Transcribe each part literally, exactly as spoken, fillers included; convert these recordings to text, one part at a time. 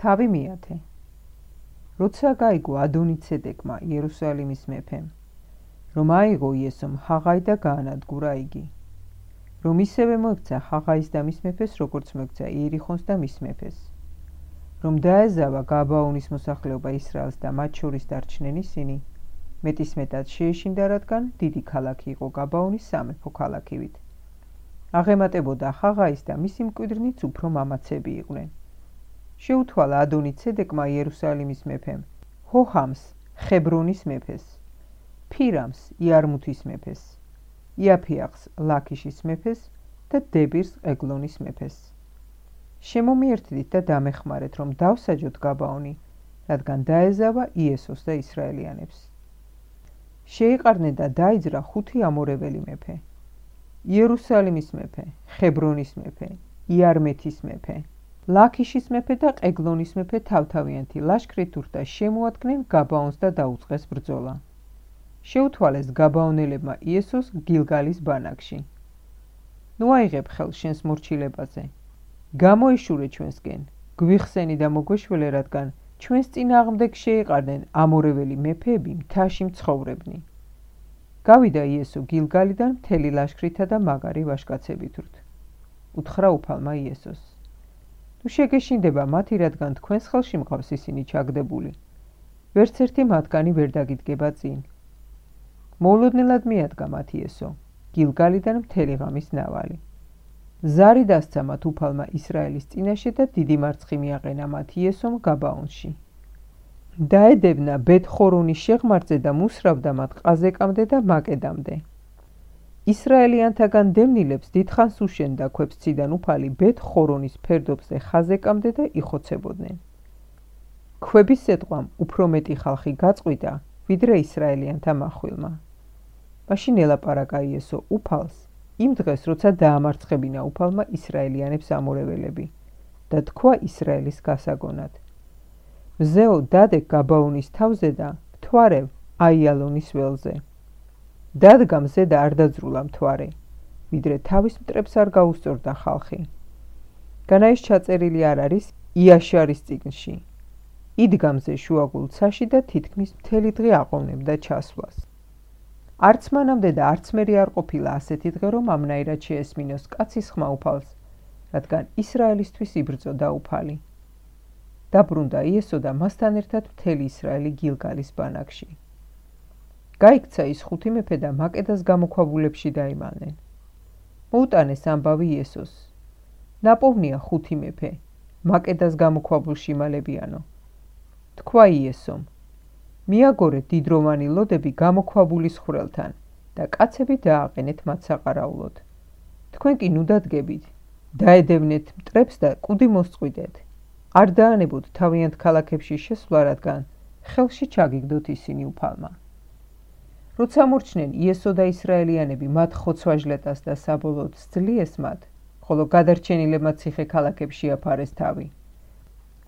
თავი მიათე. როცა გაიგო ადონიცედეკმა იერუსალიმის მეფემ, რომ აიღო იესომ ჰაღაი და გაანადგურა იგი, რომ ისევე მოექცა ჰაღაის და მის მეფეს, როგორც მოექცა იერიხონს და მის მეფეს, რომ დაეზავა გაბაონის მოსახლეობა ისრაელს და მათ შორის დარჩნენ ისინი, მეტისმეტად შეეშინდა, რადგან დიდი ქალაქი იყო გაბაონის სამეფო ქალაქივით. აღემატებოდა ჰაღაის და მისი მკვიდრნიც უფრო მამაცები იყვნენ. შეუთვალა ადონიცედეკმა იერუსალიმის მეფემ, ჰოჰამს ხებრონის მეფეს, ფირამს იარმუთის მეფეს, იაფიახს ლაქიშის მეფეს და დებირს ეგლონის მეფეს. შემომიერთდით და დამეხმარეთ, რომ დავსაჯოთ გაბაონი, რადგან დაეზავა იესოს და ისრაელიანებს. შეიყარნენ და დაიძრა ხუთი ამორეველი მეფე: იერუსალიმის მეფე, ხებრონის მეფე, იარმეთის მეფე, ლაქიშის მეფე და ყეგლონის მეფე თავთავიანთი ლაშქრით ურდა შემოადგნენ გაბაონს და დაუწყეს ბრძოლა. შეუთვალეს გაბაონელებმა იესოს გილგალის ბანაკში. ნუ აიღებ ხელს შენს მორჩილებაზე. გამოიშურე ჩვენსკენ, გვიხსენი და მოგვეშველე, რადგან ჩვენს წინააღმდეგ შეიყარნენ ამორეველი მეფეები მთაში მცხოვრებნი. გავიდა იესო გილგალიდან მთელი ლაშქრითა და მაგარი ვაჟკაცებითურთ. უთხრა უფალმა იესოს: თუ შეგეშინდება მათი, რადგან თქვენს ხელში მყავს ისინი ჩაგდებული, ვერც ერთი მათგანი ვერ დაგიდგება წინ. მოულოდნელად მიადგა მათ იესო გილგალიდან მთელი ღამის ნავალი. ზარი დასცა მათ უფალმა ისრაელის წინაშე და დიდი მარცხი მიაყენა მათ იესომ გაბაონში. დაედევნა ბეთ-ხორონის შეღმართზე და მუსრავდა მათ ყაზეკამდე და მაკედამდე. ისრაელიანთაგან დევნილებს დიდხანს უშენდა ქვებსციდან უფალი ბეთ-ხორონის ფერდობზე ხაზეკამდე და იხოცებოდნენ. ქვების სეტყვამ უფრო მეტი ხალხი გაწყვიტა, ვიდრე ისრაელიანთა מחვილმა. მაშინ ელაპარაკა იესო უფალს იმ დღეს, როცა დაამარცხებინა უფალმა ისრაელიანებს ამორეველები და თქვა ისრაელის გასაგონად: მზეო დადე გაბაონის თავზე და მთვარევ აიალონის ველზე. დადგა მზე და არ დაძრულა მთვარე, ვიდრე თავის მტრებს არ გაუსწორდა ხალხი. განა ის ჩაწერილი არ არის იაშარის წიგნში. იდგა მზე შუაგულ ცაში და თითქმის მთელი დღე აყოვნებდა ჩასვლას. არც მანამდე და არც მერე არ ყოფილა ასეთი დღე, რომ ამნაირად შეესმინოს კაცის ხმა უფალს, რადგან ისრაელისთვის იბრძოდა უფალი. დაბრუნდა იესო და მასთან ერთად მთელი ისრაელი გილგალის ბანაკში. გაიქცა ის ხუთი მეფე და მაკედას გამოქვაბულებში დაიმალნენ. მოუტანეს ამბავი იესოს: ნაპოვნია ხუთი მეფე, მაკედას გამოქვაბულში იმალებიანო. თქვა იესომ: მიაგორეთ დიდროვანი ლოდები გამოქვაბულის ხვრელთან და კაცები დააყენეთ მათ საყარაულოდ. თქვენ კი ნუ დადგებით, დაედევნეთ მტრებს და კუდი მოსწყვიტეთ. არ დაანებოთ თავიანთ ქალაქებში შესვლა, რადგან ხელში ჩაგიგდოთ ისინი უფალმა. როცა მორჩნენ იესო და ისრაელიანები მათ ხოცვაჟლეტას და საბოლოოდ სძლიეს მათ, ხოლო გადარჩენილებმა ციხე ქალაქებში აფარეს თავი.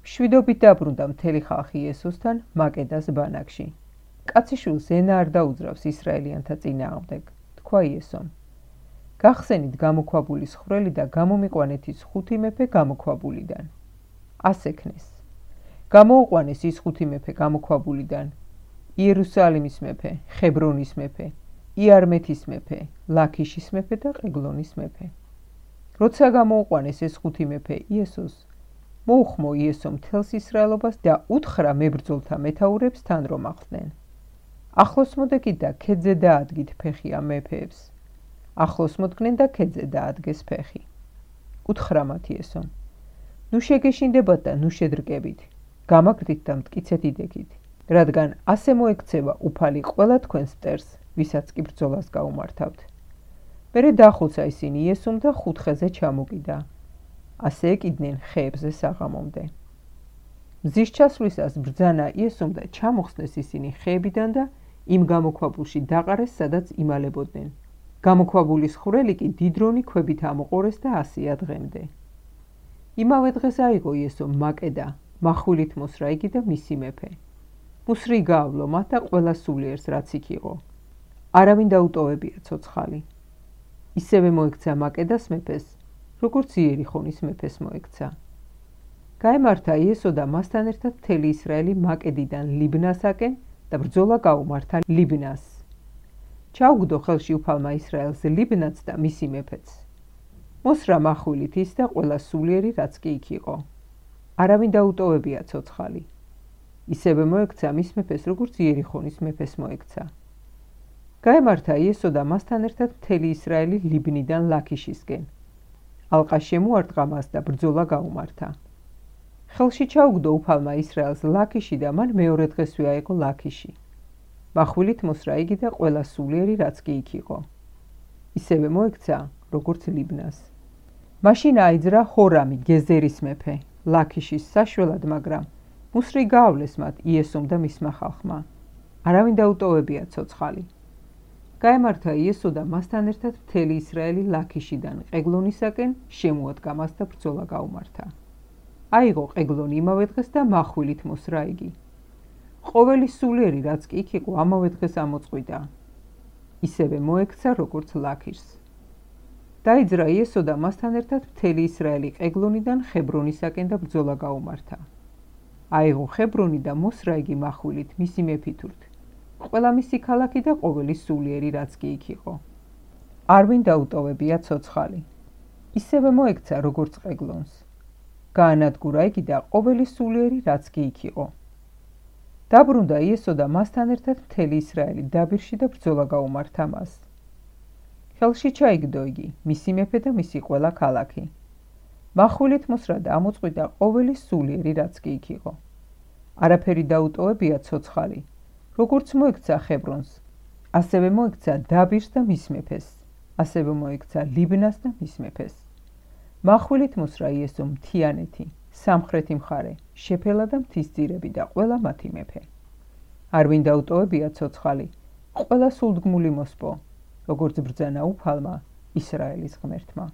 მშვიდობით დაბრუნდა მთელი ხალხი იესოსთან მაკედას ბანაკში. კაციშვილს ენა არ დაუძრავს ისრაელიანთა წინააღმდეგ, თქვა იესომ. გახსენით გამოქვაბულის ხვრელი და გამომიყვანეთ ის ხუთი მეფე გამოქვაბულიდან. ასექნეს. გამოუყვანეს ის ხუთი მეფე გამოქვაბულიდან: იერუსალიმის მეფე, ხებრონის მეფე, იარმეთის მეფე, ლაქიშის მეფე და ყეგლონის მეფე. როცა გამოუყვანეს ეს ხუთი მეფე იესოს, მოუხმო იესო მთელს ისრაელობას და უთხრა მებრძოლთა მეთაურებს თან რომ ახსნեն. ახლოს მოდეკით და ქედზე დაადგით ფეხი ამ მეფეებს. ახლოს მოდგნენ და ქედზე დაადგეს ფეხი. უთხრა მათ იესომ: ნუ შეგეშინდებათ და ნუ შედრკებით, გამაგრდით და მტკიცეთ იდექით, რადგან ასე მოექცევა უფალი ყველა თქვენს მტერს, ვისაც კი ბრძოლას გაუმართავთ. მერე დახოცა ისინი იესომ და ხუთხეზე ჩამოკიდა. ასე ეკიდნენ ხეებზე საღამომდე. მზის ჩასვლისას ბრძანა იესომ და ჩამოხსნეს ისინი ხეებიდან და იმ გამოქვაბულში დაყარეს, სადაც იმალებოდნენ. გამოქვაბულის ხვრელი კი დიდრონი ქვებით ამოყორეს და ასია დღემდე. იმავე დღეს აიღო იესო მაკედა, მახვილით მოსრა იგი და მისი მეფე. მუსრი გაავლო მათ და ყველა სულიერს, რაც იქ იყო. არავინ დაუტოვებია ცოცხალი. ისევე მოექცა მაკედას მეფეს, როგორც იერიხონის მეფეს მოექცა. გაემართა იესო და მასთან ერთად მთელი ისრაელი მაკედიდან ლიბნასაკენ და ბრძოლა გაუმართა ლიბნას. ჩაუგდო ხელში უფალმა ისრაელს ლიბნაც და მისი მეფეც. მოსრა מחვილით ის და ყველა სულიერი რაც კი იქ იყო. არავინ დაუტოვებია ცოცხალი. ისევე მოექცა მის მეფეს, როგორც იერიხონის მეფეს მოექცა. გაემართა იესო და მასთან ერთად მთელი ისრაელი ლიბნიდან ლაქიშისკენ. ალყა შემოარტყა მას და ბრძოლა გაუმართა. ხელში ჩაუგდო უფალმა ისრაელს ლაქიში და მან მეორე დღესვე აიღო ლაქიში. מחვილით მოსრა იგი და ყველა სულიერი რაც კი იქ იყო. ისევე მოექცა, როგორც ლიბნას. მაშინ აიძრა ჰორამი, გეზერის მეფე, ლაქიშის საშველად, მაგრამ მუსრი გაავლეს მათ იესომ და მისმა ხალხმა. არავინ დაუტოვებია ცოცხალი. გაემართა იესო და მასთან ერთად მთელი ისრაელი ლაქიშიდან ყეგლონისაკენ შემოადგა მას და ბრძოლა გაუმართა. აიღო ყეგლონი იმავე დღეს და מחვილით მოსრა იგი. ყოველი სულიერი რაც კი იქ იყო ამავე დღეს ამოწყვიტა. ისევე მოექცა როგორც ლაქიშს. დაიძრა იესო და მასთან ერთად მთელი ისრაელი ყეგლონიდან ხებრონისაკენ და ბრძოლა გაუმართა. აიღო ხებრონი და მოსრა იგი מחვილით მისი მეფითურთ. ყველა მისი ქალაქი და ყოველი სულიერი რაც კი იქ იყო. არვინ დაუტოვებია ცოცხალი. ისევე მოექცა როგორც ყეგლონს. გაანადგურა იგი და ყოველი სულიერი რაც კი იქ იყო. დაბრუნდა იესო და მასთან ერთად მთელი ისრაელი დაბირში და ბრძოლა გაუმართა მას. ხელში ჩაიგდო იგი, მისი მეფე და მისი ყველა ქალაქი. מחვილით მოსრა და ამოწყვიტა ყოველი სულიერი რაც კი იქ იყო. არაფერი დაუტოვებია ცოცხალი. როგორც მოექცა ხებრონს, ასევე მოექცა დაბირს და მის მეფეს, ასევე მოექცა ლიბნას და მის მეფეს. מחვილით მოსრა იესო მთიანეთი, სამხრეთი მხარე, შეფელა და მთისძირები და ყველა მათი მეფე. არვინ დაუტოვებია ცოცხალი, ყველა სულდგმული მოსპო, როგორც ბრძანა უფალმა ისრაელის ღმერთმა.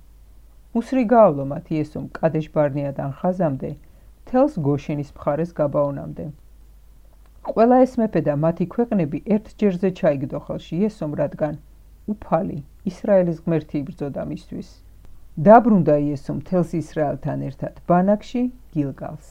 მუსრი გაავლო მათ იესომ კადეშ ბარნეადან ხაზამდე, მთელს გოშენის მხარეს გაბაონამდე. ყველა ეს მეფე და მათი ქვეყნები ერთ ჯერზე ჩაიგდო ხელში იესომ, რადგან უფალი ისრაელის ღმერთი იბრძოდა მისთვის. დაბრუნდა იესო მთელს ისრაელთან ერთად ბანაკში გილგალს.